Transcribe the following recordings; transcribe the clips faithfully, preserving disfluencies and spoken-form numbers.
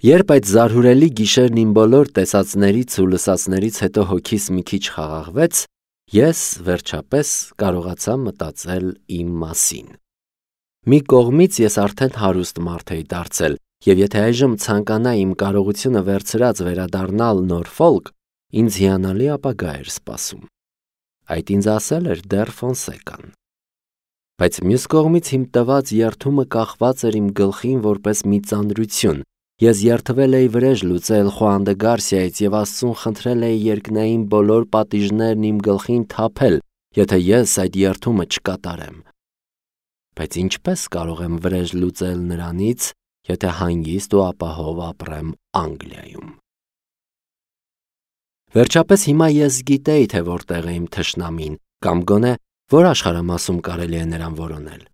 Երբ այդ զարհուրելի գիշերն իմ բոլոր տեսածներից ու լսածներից հետո հոգիս մի քիչ խաղաղվեց, ես վերջապես կարողացա մտածել իմ մասին։ Մի կողմից ես արդեն հարուստ մարդ էի դարձել, և եթե այժմ ցանկանայի իմ կարողությունը վերցրած վերադառնալ Նորֆոլք, ինձ հիանալի ապագա էր սպասում։ Այդ ինձ ասել էր դեռ Ֆոնսեկան։ Բայց մյուս կողմից իմ տված երդումը կախված էր իմ գլխին որպես մի ծանրություն։ Ես երդվել էի վրեժ լուծել Խուան դե Գարսիայից և Աստծուն խնդրել էի երկնային բոլոր պատիժներն իմ գլխին թափել, եթե ես այդ երդումը չկատարեմ։ Բայց ինչպես կարող եմ վրեժ լուծել նրանից, եթե հանգիստ ու ապահով ապրեմ Անգլիայում։ Վերջապես հիմա ես գիտեի, թե որտեղ է իմ թշնամին, կամ գոնե որ աշխարհամասում կարելի է նրան որոնել։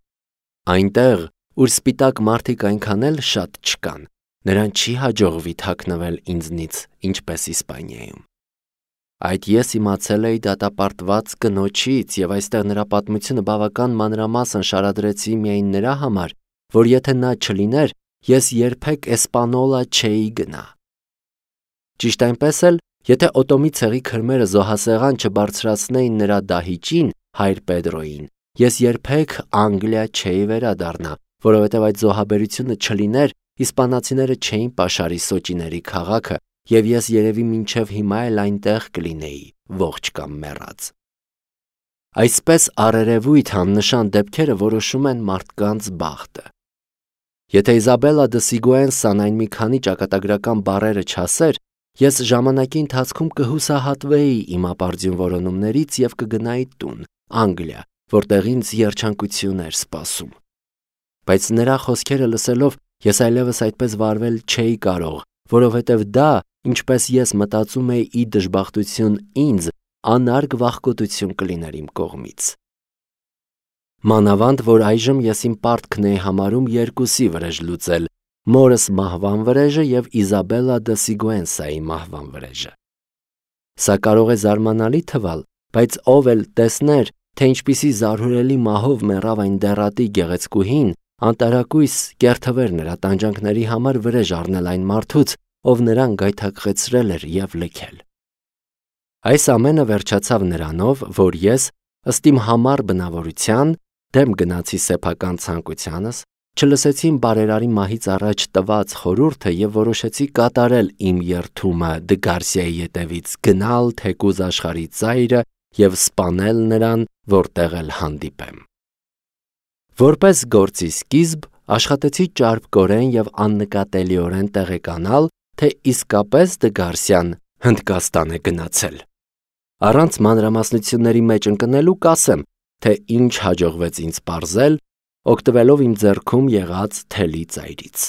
Այնտեղ, ուր սպիտակ մարդիկ այնքան էլ շատ չկան, նրան չի հաջողվի թաքնվել ինձնից, ինչպես Իսպանիայում։ Այդ ես իմացել էի դատապարտված կնոջից, և այստեղ նրա պատմությունը բավական մանրամասն շարադրեցի միայն նրա համար, որ եթե նա չլիներ, ես երբեք Էսպանոլա չէի գնա։ Ճիշտ այնպես էլ, եթե Օտոմի ցեղի քրմերը զոհասեղան չբարձրացնեին նրա դահիճին, հայր Պեդրոյին, ես երբեք Անգլիա չէի վերադառնա, որովհետև այդ զոհաբերությունը չլիներ, իսպանացիները չէին պաշարի Սոճիների քաղաքը, և ես երևի մինչև հիմա էլ այնտեղ կլինեի, ողջ կամ մեռած։ Այսպես առերևույթ աննշան դեպքերը որոշում են մարդկանց բախտը։ Եթե Իզաբելլա դը Սիգուենսան այն մի քանի ճակատագրական բառերը չասեր, ես ժամանակի ընթացքում կհուսահատվեի իմ ապարդյուն որոնումներից և կգնայի տուն, Անգլիա, որտեղ ինձ երջանկություն էր սպասում։ Բայց նրա խոսքերը լսելով ես այլևս այդպես վարվել չէի կարող, որովհետև դա, ինչպես ես մտածում էի ի դժբախտություն ինձ, անարգ վախկոտություն կլիներ իմ կողմից։ Մանավանդ, որ այժմ ես իմ պարտքն էի համարում երկուսի վրեժ լուծել՝ մորս մահվան վրեժը և Իզաբելլա դը Սիգուենսայի մահվան վրեժը։ Սա կարող է զարմանալի թվալ, բայց ով էլ տեսներ, թե ինչպիսի զարհուրելի մահով մեռավ այն դեռատի գեղեցկուհին, անտարակույս կերթվեր նրա տանջանքների համար վրեժ առնել այն մարդուց, ով նրան գայթակղեցրել էր և լքել։ Այս ամենը վերջացավ նրանով, որ ես, ըստ իմ համառ բնավորության, դեմ գնացի սեփական ցանկությանս, չլսեցի իմ բարերարի մահից առաջ տված խորհուրդը և որոշեցի կատարել իմ երդումը Դը Գարսիայի ետևից գնալ թեկուզ աշխարհի ծայրը և սպանել նրան, որտեղ էլ հանդիպեմ։ Որպես գործի սկիզբ աշխատեցի ճարպկորեն և աննկատելիորեն տեղեկանալ, թե իսկապես Դը Գարսիան Հնդկաստան է գնացել։ Առանց մանրամասնությունների մեջ ընկնելու կասեմ, թե ինչ հաջողվեց ինձ պարզել, օգտվելով իմ ձեռքում եղած թելի ծայրից։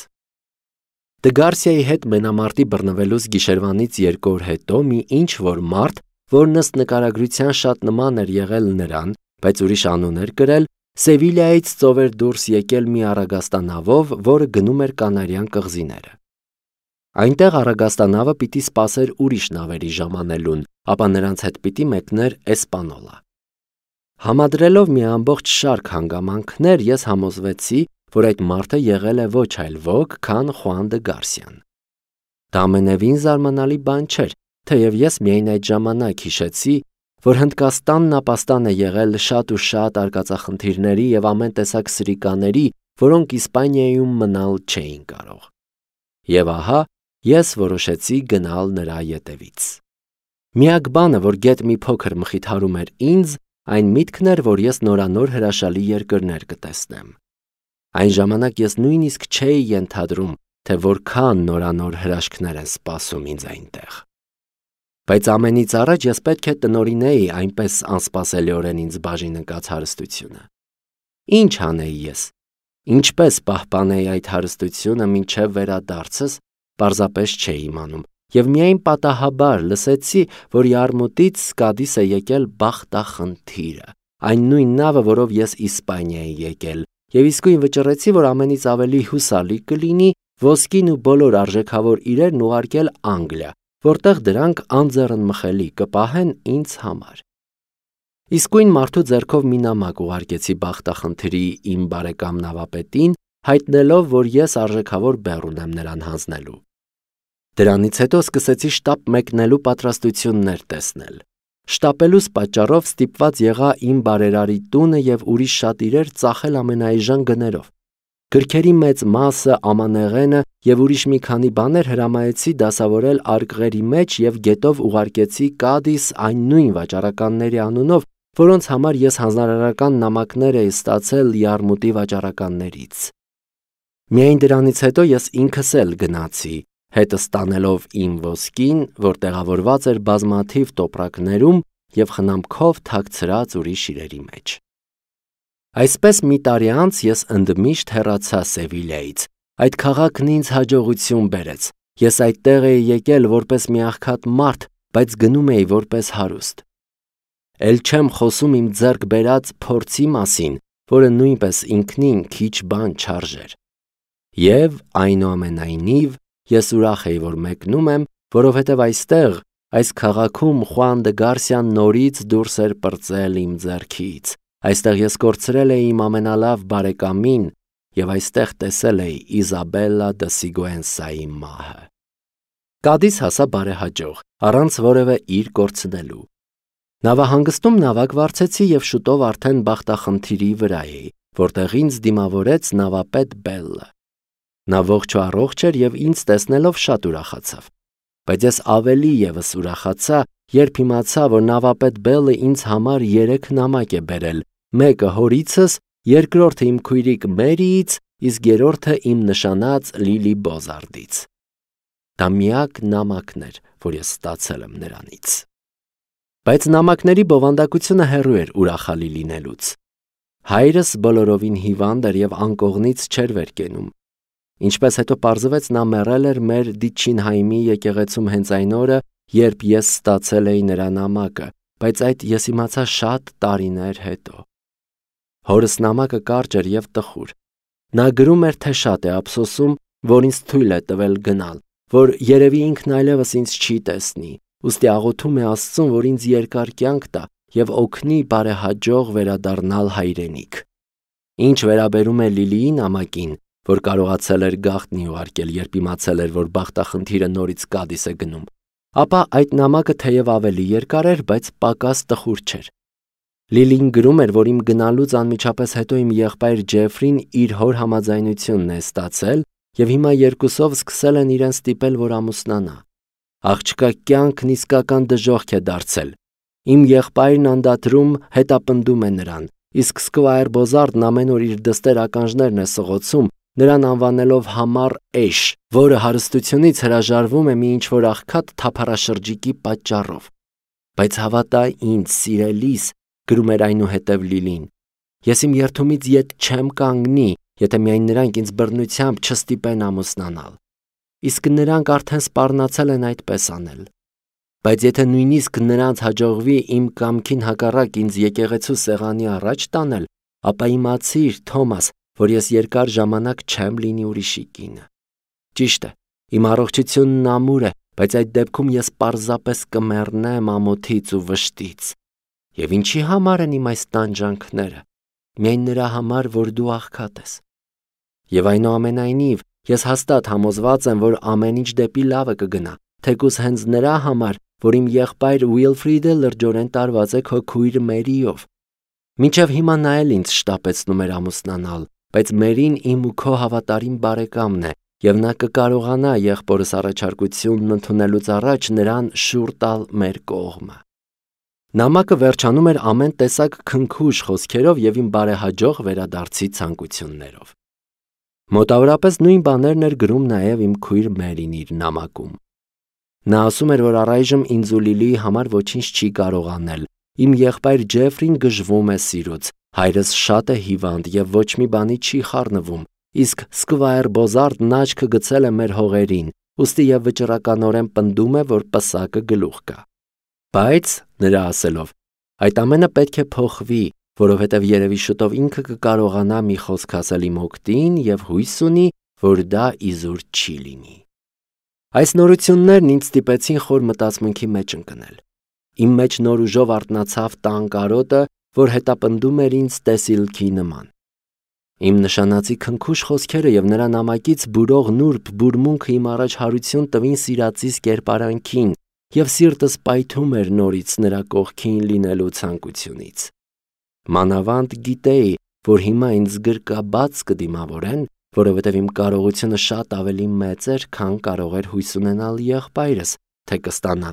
Դը Գարսիայի հետ մենամարտի բռնվելուց գիշերվանից երկու օր հետո մի ինչ-որ մարդ, որն ըստ նկարագրության շատ նման էր եղել նրան, բայց ուրիշ անուն էր կրել, Սևիլիայից ծով էր դուրս եկել մի առագաստանավով, որը գնում էր Կանարյան կղզիները։ Այնտեղ առագաստանավը պիտի սպասեր ուրիշ նավերի ժամանելուն, ապա նրանց հետ պիտի մեկներ Էսպանոլա։ Համադրելով մի ամբողջ շարք հանգամանքներ, ես համոզվեցի, որ այդ մարդը եղել է ոչ այլ ոք, քան Խուան դը Գարսիան։ Դա ամենևին զարմանալի բան չէր, թեև ես միայն այդ ժամանակ հիշեցի, որ Հնդկաստանն ապաստան է եղել շատ ու շատ արկածախնդիրների և ամեն տեսակ սրիկաների, որոնք Իսպանիայում մնալ չէին կարող։ Եվ ահա, ես որոշեցի գնալ նրա ետևից։ Միակ բանը, որ գեթ մի փոքր մխիթարում էր ինձ, այն միտքն էր, որ ես նորանոր հրաշալի երկրներ կտեսնեմ։ Այն ժամանակ ես նույնիսկ չէի ենթադրում, թե որքան նորանոր հրաշքներ են սպասում ինձ այնտեղ։ Բայց ամենից առաջ ես պետք է տնօրինեի այնպես անսպասելիորեն ինձ բաժին ընկած հարստությունը։ Ինչ անեի ես։ Ինչպես պահպանեի այդ հարստությունը մինչև վերադարձս, պարզապես չէի իմանում, և միայն պատահաբար լսեցի, որ Յարմուտից Սկադիս է եկել բախտախնդիրը, այն նույն նավը, որով ես Իսպանիա էի եկել, և իսկույն վճռեցի, որ ամենից ավելի հուսալի կլինի ոսկին ու բոլոր արժեքավոր իրերն ուղարկել Անգլիա, որտեղ դրանք անձեռնմխելի կպահեն ինձ համար։ Իսկույն մարդու ձեռքով մի նամակ ուղարկեցի բախտախնդրի իմ բարեկամ նավապետին, հայտնելով, որ ես արժեքավոր բեռ ունեմ նրան հանձնելու։ Դրանից հետո սկսեցի շտապ մեկնելու պատրաստություններ տեսնել։ Շտապելուս պատճառով ստիպված եղա իմ բարերարի տունը և ուրիշ շատ իրեր ծախել ամենաէժան գներով։ Գրքերի մեծ մասը, ամանեղենը և ուրիշ մի քանի բաներ հրամայեցի դասավորել արկղերի մեջ և գետով ուղարկեցի Կադիս այն նույն վաճառականների անունով, որոնց համար ես հանրարարական նամակներ էի ստացել Յարմուտի վաճառականներից։ Միայն դրանից հետո ես ինքս էլ գնացի, հետս տանելով իմ ոսկին, որ տեղավորված էր բազմաթիվ տոպրակներում և խնամքով թաքցրած ուրիշ իրերի մեջ։ Այսպես մի տարի անց ես ընդմիշտ հեռացա Սևիլյայից։ Այդ քաղաքն ինձ հաջողություն բերեց։ Ես այդտեղ էի եկել որպես մի աղքատ մարդ, բայց գնում էի որպես հարուստ։ Էլ չեմ խոսում իմ ձեռք բերած փորձի մասին, որը նույնպես ինքնին քիչ բան չարժեր։ Եվ այնուամենայնիվ ես ուրախ էի, որ մեկնում եմ, որովհետև այստեղ, այս քաղաքում Խուան դը Գարսիան նորից դուրս էր պրծել իմ ձեռքից։ Այստեղ ես կորցրել էի իմ ամենալավ բարեկամին և այստեղ տեսել էի Իզաբելլա դը Սիգուենսայի մահը։ Կադիս հասա բարեհաջող, առանց որևէ իր կորցնելու։ Նավահանգստում նավակ վարձեցի և շուտով արդեն բախտախնդիրի վրա էի, որտեղ ինձ դիմավորեց նավապետ Բելլը։ Նա ողջ ու առողջ էր և ինձ տեսնելով շատ ուրախացավ։ Բայց ես ավելի ևս ուրախացա, երբ իմացա, որ նավապետ Բելլը ինձ համար երեք նամակ է բերել, մեկը հորիցս, երկրորդը իմ քույրիկ Մերիից, իսկ երրորդը իմ նշանած Լիլի Բոզարդից։ Դա միակ նամակն էր, որ ես ստացել եմ նրանից։ Բայց նամակների բովանդակությունը հեռու էր ուրախալի լինելուց։ Հայրս բոլորովին հիվանդ էր և անկողնից չէր վեր կենում։ Ինչպես հետո պարզվեց, նա մեռել էր մեր Դիչինհայմի եկեղեցում հենց այն օրը, երբ ես ստացել էի նրա նամակը, բայց այդ ես իմացա շատ տարիներ հետո։ Հորս նամակը կարճ էր և տխուր։ Նա գրում էր, թե շատ է ափսոսում, որ ինձ թույլ է տվել գնալ, որ երևի ինքն այլևս ինձ չի տեսնի, ուստի աղոթում է Աստծուն, որ ինձ երկար կյանք տա և օգնի բարեհաջող վերադառնալ հայրենիք։ Ինչ վերաբերում է Լիլիի նամակին, որ կարողացել էր գաղտնի ուղարկել, երբ իմացել էր, որ բախտախնդիրը նորից Կադիս է գնում, ապա այդ նամակը թեև ավելի երկար էր, բայց պակաս տխուր չէր։ Լիլին գրում էր, որ իմ գնալուց անմիջապես հետո իմ եղբայր Ջեֆրին իր հոր համաձայնությունն է ստացել և հիմա երկուսով սկսել են իրեն ստիպել, որ ամուսնանա։ Աղջկա կյանքն իսկական դժոխք է դարձել։ Իմ եղբայրն անդադրում հետապնդում է նրան, իսկ Սկվայր Բոզարդն ամեն օր իր դստեր ականջներն է սղոցում, նրան անվանելով համառ էշ, որը հարստությունից հրաժարվում է մի ինչ-որ աղքատ թափառաշրջիկի պատճառով։ Բայց հավատա ինձ, սիրելիս, գրում էր այնուհետև Լիլին, ես իմ երդումից ետ չեմ կանգնի, եթե միայն նրանք ինձ բռնությամբ չստիպեն ամուսնանալ։ Իսկ նրանք արդեն սպառնացել են այդպես անել։ Բայց եթե նույնիսկ նրանց հաջողվի իմ կամքին հակառակ ինձ եկեղեցու սեղանի առաջ տանել, ապա իմացիր, Թոմաս, որ ես երկար ժամանակ չեմ լինի ուրիշի կինը։ Ճիշտ է, իմ առողջությունն ամուր է, բայց այդ դեպքում ես պարզապես կմեռնեմ ամոթից ու վշտից։ Եվ ինչի համար են իմ այս տանջանքները։ Միայն նրա համար, որ դու աղքատ ես։ Եվ այնուամենայնիվ, ես հաստատ համոզված եմ, որ ամեն ինչ դեպի լավը կգնա, թեկուզ հենց նրա համար, որ իմ եղբայր Ուիլֆրիդը լրջորեն տարված է քո քույր Մերիով։ Մինչև հիմա նա էլ ինձ շտապեցնում էր ամուսնանալ, բայց Մերին իմ ու քո հավատարիմ բարեկամն է, և նա կկարողանա եղբորս առաջարկությունն ընդունելուց առաջ նրան շուռ տալ մեր կողմը։ Նամակը վերջանում էր ամեն տեսակ քնքուշ խոսքերով և իմ բարեհաջող վերադարձի ցանկություններով։ Մոտավորապես նույն բաներն էր գրում նաև իմ քույր Մերին իր նամակում։ Նա ասում էր, որ առայժմ ինձ ու Լիլիի համար ոչինչ չի կարող անել, իմ եղբայր Ջեֆրին գժվում է սիրուց, հայրս շատ է հիվանդ և ոչ մի բանի չի խառնվում, իսկ Սկվայր Բոզարդն աչքը գցել է մեր հողերին, ուստի և վճռականորեն պնդում է, որ պսակը գլուխ կա։ Բայց, նրա ասելով, այդ ամենը պետք է փոխվի, որովհետև երևի շուտով ինքը կկարողանա մի խոսք ասել իմ օգտին և հույս ունի, որ դա իզուր չի լինի։ Այս նորություններն ինձ ստիպեցին խոր մտածմունքի մեջ ընկնել։ Իմ մեջ նոր ուժով արթնացավ տան կարոտը, որ հետապնդում էր ինձ տեսիլքի նման։ Իմ նշանածի քնքուշ խոսքերը եւ նրա նամակից բուրող նուրբ բուրմունքը իմ առաջ հարություն տվին սիրածիս կերպարանքին, եւ սիրտս պայթում էր նորից նրա կողքին լինելու ցանկությունից։ Մանավանդ գիտեի, որ հիմա ինձ գրկաբաց կդիմավորեն, որովհետև իմ կարողությունը շատ ավելի մեծ էր, քան կարող էր հույս ունենալ եղբայրս, թե կստանա։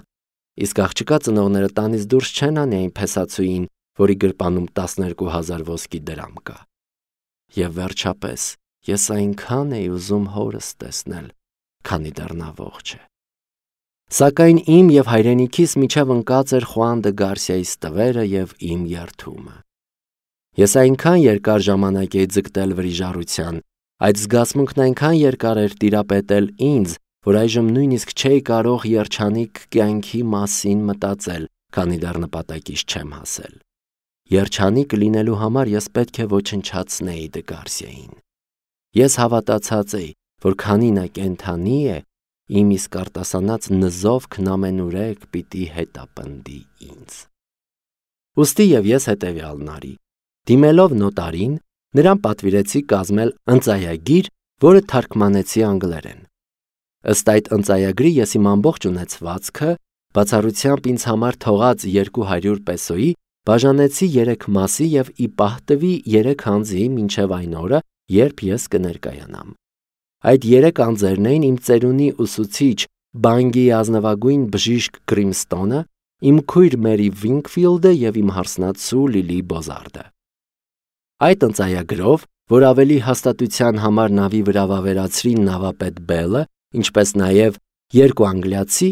Իսկ աղջկա ծնողները տանից դուրս չեն անի այն փեսացուին, որի գրպանում տասներկու հազար ոսկի դրամ կա։ Եվ վերջապես, ես այնքան էի ուզում հորս տեսնել, քանի դեռ նա ողջ է։ Սակայն իմ եւ հայրենիքիս միջև ընկած էր Խուան դե Գարսիայի ստվերը եւ իմ երդումը։ Ես այնքան երկար ժամանակ էի ձգտել վրիժառության, այդ զգացմունքն այնքան երկար էր տիրապետել ինձ, որ այժմ նույնիսկ չէի կարող երջանիկ կյանքի մասին մտածել, քանի դեռ նպատակից չեմ հասել։ Երջանիկ լինելու համար ես պետք է ոչնչացնեի դե Գարսիային։ Ես հավատացած էի, որ քանի նա կենդանի է, իմ իսկ արտասանած նզովքն ամենուրեք պիտի հետապնդի ինձ։ Ուստի եւ ես հետեւյալն արի։ Դիմելով նոտարին, նրան պատվիրեցի կազմել ընծայագիր, որը թարգմանեցի անգլերեն։ Ըստ այդ ընծայագրի ես իմ ամբողջ ունեցվածքը, բացառությամբ ինձ համար թողած երկու հարյուր պեսոյի, բաժանեցի երեք մասի եւ ի պահ տվի երեք անձի մինչև այն օրը, երբ ես կներկայանամ։ Այդ երեք անձերն էին իմ ծերունի ուսուցիչ Բանգի ազնվագույն բժիշկ Գրիմստոնը, իմ քույր Մերի Վինքֆիլդը եւ իմ հարսնացու Լիլի Բոզարդը։ Այդ ընծայագրով, որ ավելի հաստատության համար նավի վրա վավերացրին նավապետ Բելը, ինչպես նաև երկու անգլիացի,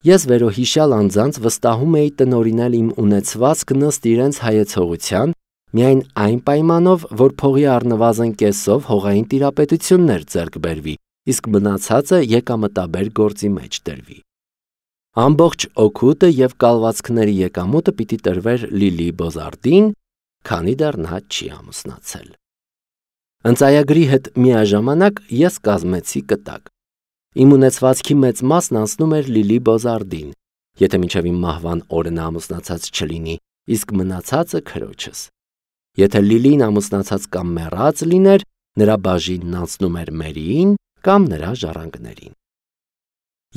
ես վերոհիշյալ անձանց վստահում էի տնօրինել իմ ունեցվածքն ըստ իրենց հայեցողության, միայն այն պայմանով, որ փողի առնվազն կեսով հողային տիրապետություններ ձեռք բերվի, իսկ մնացածը եկամտաբեր գործի մեջ դրվի։ Ամբողջ օգուտը եւ կալվածքների եկամուտը պիտի տրվեր Լիլի Բոզարդին, քանի դեռ նա չի ամուսնացել։ Ընծայագրի հետ միաժամանակ ես կազմեցի կտակ։ Իմ ունեցվածքի մեծ մասն անցնում էր Լիլի Բոզարդին, եթե մինչև իմ մահվան օրը նա ամուսնացած չլինի, իսկ մնացածը քրոջս։ Եթե Լիլին ամուսնացած կամ մեռած լիներ, նրա բաժինն անցնում էր Մերիին կամ նրա ժառանգներին։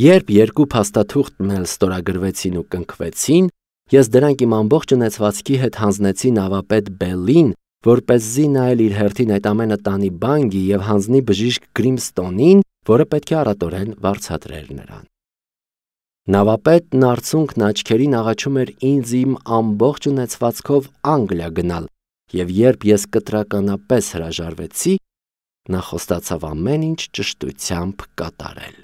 Երբ երկու փաստաթուղթն էլ ստորագրվեցին ու կնքվեցին, ես դրանք իմ ամբողջ ունեցվածքի հետ հանձնեցի նավապետ Բելին, որպեսզի նա էլ իր հերթին այդ ամենը տանի Բանգի եւ հանձնի բժիշկ Գրիմստոնին, որը պետք է առատորեն վարձատրեր նրան։ Նավապետն արցունքն աչքերին աղաչում էր ինձ իմ ամբողջ ունեցվածքով Անգլիա գնալ, եւ երբ ես կտրականապես հրաժարվեցի, նա խոստացավ ամեն ինչ ճշտությամբ կատարել։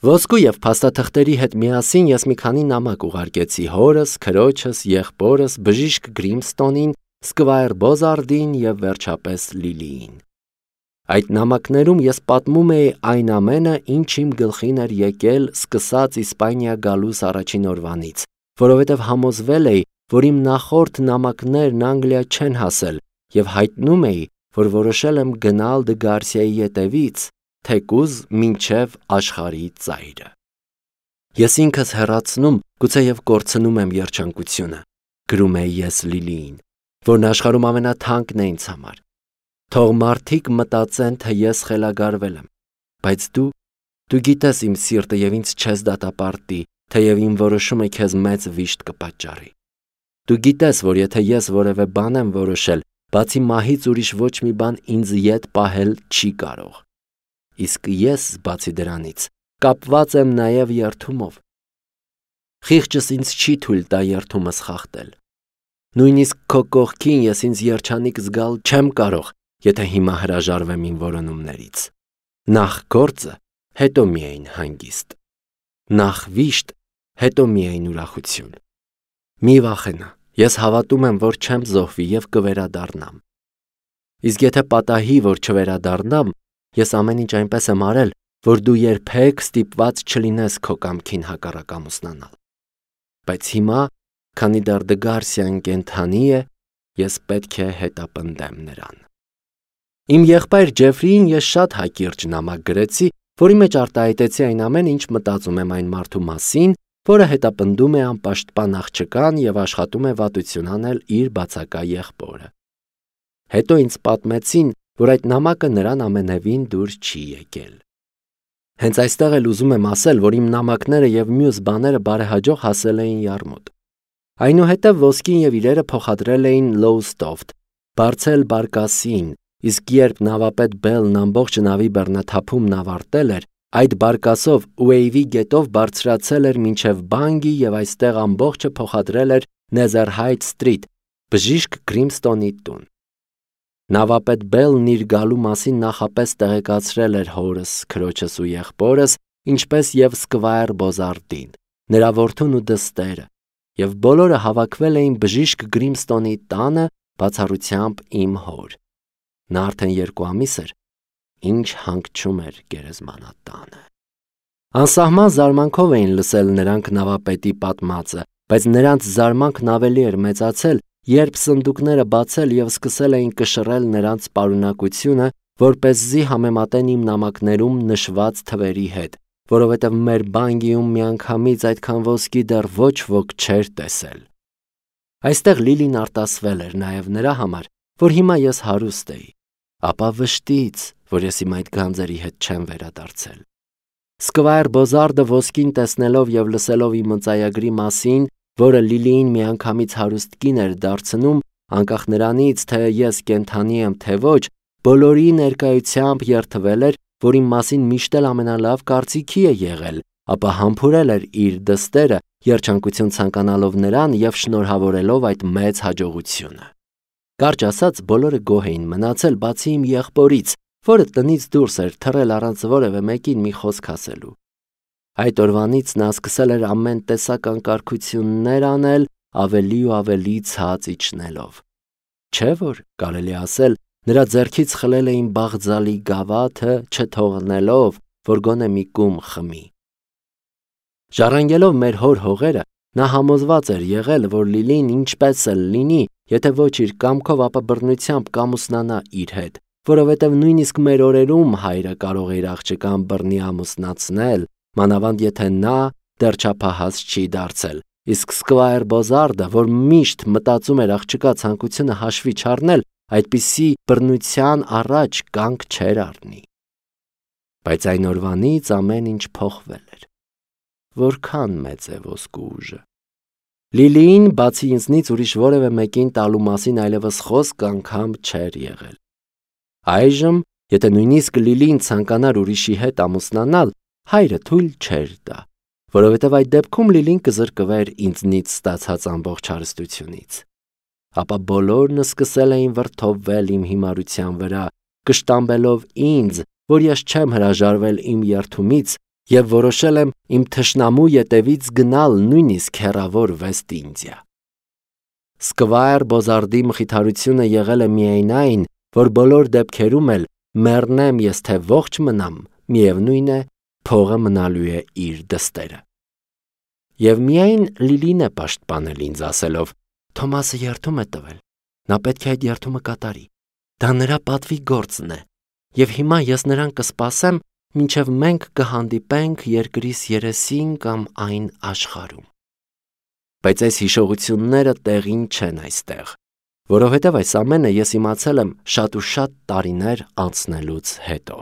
Ոսկու եւ փաստաթղթերի հետ միասին ես մի քանի նամակ ուղարկեցի հորս, քրոջս, եղբորս, բժիշկ Գրիմստոնին, Սկվայր Բոզարդին եւ վերջապես Լիլիին։ Այդ նամակներում ես պատմում էի այն ամենը, ինչ իմ գլխին էր եկել սկսած Իսպանիա գալուս առաջին օրվանից, որովհետև համոզվել էի, որ իմ նախորդ նամակներն Անգլիա չեն հասել եւ հայտնում էի, որ որոշել եմ գնալ դե Գարսիայի ետևից, թեկուզ մինչև աշխարհի ծայրը։ Ես ինքս հեռացնում, գուցեև կորցնում եմ երջանկությունը, գրում էի ես Լիլիին, որն աշխարհում ամենաթանկն է ինձ համար։ Թող մարդիկ մտածեն, թե ես խելագարվել եմ, բայց դու, դու գիտես իմ սիրտը եւ ինձ չես դատապարտի, թեև իմ որոշումը քեզ մեծ վիշտ կպատճառի։ Դու գիտես, որ եթե ես որևէ բան եմ որոշել, բացի մահից ուրիշ ոչ մի բան ինձ ետ պահել չի կարող։ Իսկ ես, բացի դրանից, կապված եմ նաեւ երդումով։ Խիղճս ինձ չի թույլ տա երդումս խախտել։ Նույնիսկ քո կողքին ես ինձ երջանիկ զգալ չեմ կարող, եթե հիմա հրաժարվեմ իմ որոնումներից։ Նախ գործը, հետո միայն հանգիստ։ Նախ վիշտ, հետո միայն ուրախություն։ Մի վախենա, ես հավատում եմ, որ չեմ զոհվի եւ կվերադառնամ։ Իսկ եթե պատահի, որ չվերադառնամ, ես ամեն ինչ այնպես եմ արել, որ դու երբեք ստիպված չլինես քո կամքին հակառակ ամուսնանալ։ Բայց հիմա, քանի դեռ դե Գարսիան կենդանի է, ես պետք է հետապնդեմ նրան։ Իմ եղբայր Ջեֆրիին ես շատ հակիրճ նամակ գրեցի, որի մեջ արտահայտեցի այն ամենը, ինչ մտածում եմ այն մարդու մասին, որը հետապնդում է անպաշտպան աղջկան եւ աշխատում է վատություն անել իր բացակա եղբորը։ Հետո ինձ պատմեցին, որ այդ նամակը նրան ամենևին դուր չի եկել։ Հենց այստեղ էլ ուզում եմ ասել, որ իմ նամակները եւ մյուս բաները բարեհաջող հասել էին Յարմուտ։ Այնուհետև ոսկին եւ իրերը փոխադրել էին Լոուստոֆտ, բարձել բարկասին, իսկ երբ նավապետ Բելն ամբողջ նավի բեռնաթափումն ավարտել էր, այդ բարկասով Ուեյվի գետով բարձրացել էր մինչև Բանգի եւ այստեղ ամբողջը փոխադրել էր Նեզերհայթ Սթրիթ, բժիշկ Գրիմստոնի տուն։ Նավապետ Բելն իր գալու մասին նախապես տեղեկացրել էր հորս, քրոջս ու եղբորս, ինչպես եւ Սկվայր Բոզարդին, նրա որդուն ու դստերը, եւ բոլորը հավաքվել էին բժիշկ Գրիմստոնի տանը, բացառությամբ իմ հոր։ Նա արդեն երկու ամիս էր, ինչ հանգչում էր գերեզմանատանը։ Անսահման զարմանքով էին լսել նրանք նավապետի պատմածը, բայց նրանց զարմանքն ավելի էր մեծացել, երբ սնդուկները բացել եւ սկսել էին կշռել նրանց պարունակությունը, որպեսզի համեմատեն իմ նամակներում նշված թվերի հետ, որովհետեւ մեր Բանգիում միանգամից այդքան ոսկի դեռ ոչ ոք չէր տեսել։ Այստեղ Լիլին արտասվել էր նաեւ նրա համար, որ հիմա ես հարուստ էի, ապա վշտից, որ ես իմ այդ գանձերի հետ չեմ վերադարձել։ Սկվայր Բոզարդը ոսկին տեսնելով եւ լսելով իմ ընծայագրի մասին, որը Լիլիին միանգամից հարուստ կին էր դարձնում, անկախ նրանից, թե ես կենդանի եմ, թե ոչ, բոլորի ներկայությամբ երդվել էր, որ իմ մասին միշտ էլ ամենալավ կարծիքի է եղել, ապա համբուրել էր իր դստերը, երջանկություն ցանկանալով նրան եւ շնորհավորելով այդ մեծ հաջողությունը։ Կարճ ասած, բոլորը գոհ էին մնացել, բացի իմ եղբորից, որը տնից դուրս էր թռել առանց որևէ մեկին մի խոսք ասելու։ Այդ օրվանից նա սկսել էր ամեն տեսակ անկարգություններ անել, ավելի ու ավելի ցած իջնելով։ Չէ՞ որ կարելի ասել, նրա ձեռքից խլել էին Բաղձալի գավաթը, չթողնելով, որ գոնե մի կում խմի։ Ժառանգելով մեր հոր հողերը, նա համոզված էր եղել, որ Լիլին ինչպես էլ լինի, եթե ոչ իր կամքով, ապա բռնությամբ կամուսնանա իր հետ, որովհետև նույնիսկ մեր օրերում հայրը կարող է իր աղջկան բռնի ամուսնացնել, մանավանդ եթե նա դեռ չափահաս չի դարձել, իսկ Սկվայր Բոզարդը, որ միշտ մտածում էր աղջկա ցանկությունը հաշվի չառնել, այդպիսի բռնության առաջ կանգ չէր առնի։ Բայց այն օրվանից ամեն ինչ փոխվել էր։ Որքան մեծ է ոսկու ուժը։ Լիլիին բացի ինձնից ուրիշ որևէ մեկին տալու մասին այլևս խոսք անգամ չէր եղել։ Այժմ, եթե նույնիսկ Լիլին ցանկանար ուրիշի հետ ամուսնանալ, հայրը թույլ չէր տա, որովհետև այդ դեպքում Լիլին կզրկվեր ինձնից ստացած ամբողջ հարստությունից։ Ապա բոլորն սկսել էին վրդովվել իմ հիմարության վրա, կշտամբելով ինձ, որ ես չեմ հրաժարվել իմ երդումից եւ որոշել եմ իմ թշնամու ետևից գնալ նույնիսկ հեռավոր Վեստ Ինդիա։ Սկվայր Բոզարդի մխիթարությունը եղել է միայն այն, որ բոլոր դեպքերում էլ մեռնեմ ես թե ողջ մնամ, միևնույն է, փողը մնալու է իր դստերը։ Եվ միայն Լիլին է պաշտպանել ինձ ասելով. Թոմասը երդում է տվել, նա պետք է այդ երդումը կատարի, դա նրա պատվի գործն է, եւ հիմա ես նրան կսպասեմ, մինչև մենք կհանդիպենք երկրիս երեսին կամ այն աշխարհում։ Բայց այս հիշողությունները տեղին չեն այստեղ, որովհետև այս ամենը ես իմացել եմ շատ ու շատ տարիներ անցնելուց հետո։